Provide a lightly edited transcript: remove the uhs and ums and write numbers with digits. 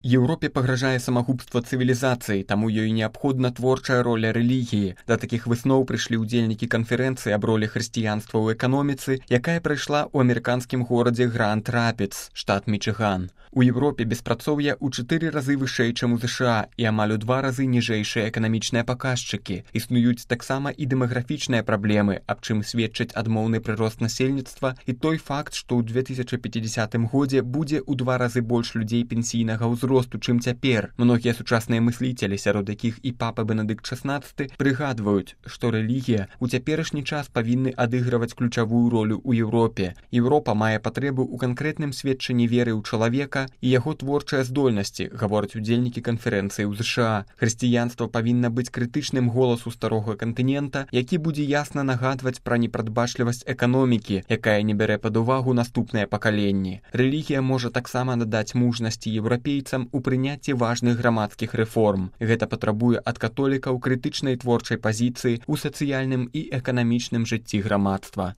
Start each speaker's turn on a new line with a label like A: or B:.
A: Еўропе пагражае самагубства цывілізацыі, таму ёй неабходна творчая роля рэлігіі. Да такіх высноў прыйшлі ўдзельнікі канферэнцыі аб ролі хрысціянства ў эканоміцы, якая прайшла ў амерыканскім горадзе Гранд-Рапідс, штат Мічыган. У Еўропе беспрацоўе ў 4 разы вышэй, чым у ЗША, і амаль у 2 разы ніжэйшыя эканамічныя паказчыкі. Існуюць таксама і дэмаграфічныя праблемы, аб чым сведчыць адмоўны прырост насельніцтва і той факт, што ў 2050 годзе будзе ў 2 разы больш людзей пенсійнага ўзросту, чым цяпер. Многія сучасныя мысліцелі, сярод якіх і папа Бенедыкт XVI, прыгадваюць, што рэлігія ў цяперашні час павінны адыгрываць ключавую ролю ў Еўропе. Еўропа мае патрэбу ў канкрэтным сведчанні веры ў чалавека і яго творчыя здольнасці, гавораць удзельнікі канферэнцыі ў ЗША. Хрысціянства павінна быць крытычным голасу старога кантынента, які будзе ясна нагадваць пра непрадбачлівасць эканомікі, якая не бярэ пад увагу наступныя пакаленні. Рэлігія можа таксама надаць мужнасці еўрапейцам у прыняцці важных грамадскіх рэформ. Гэта патрабуе ад католікаў крытычнай творчай пазіцыі ў сацыяльным і эканамічным жыцці грамадства.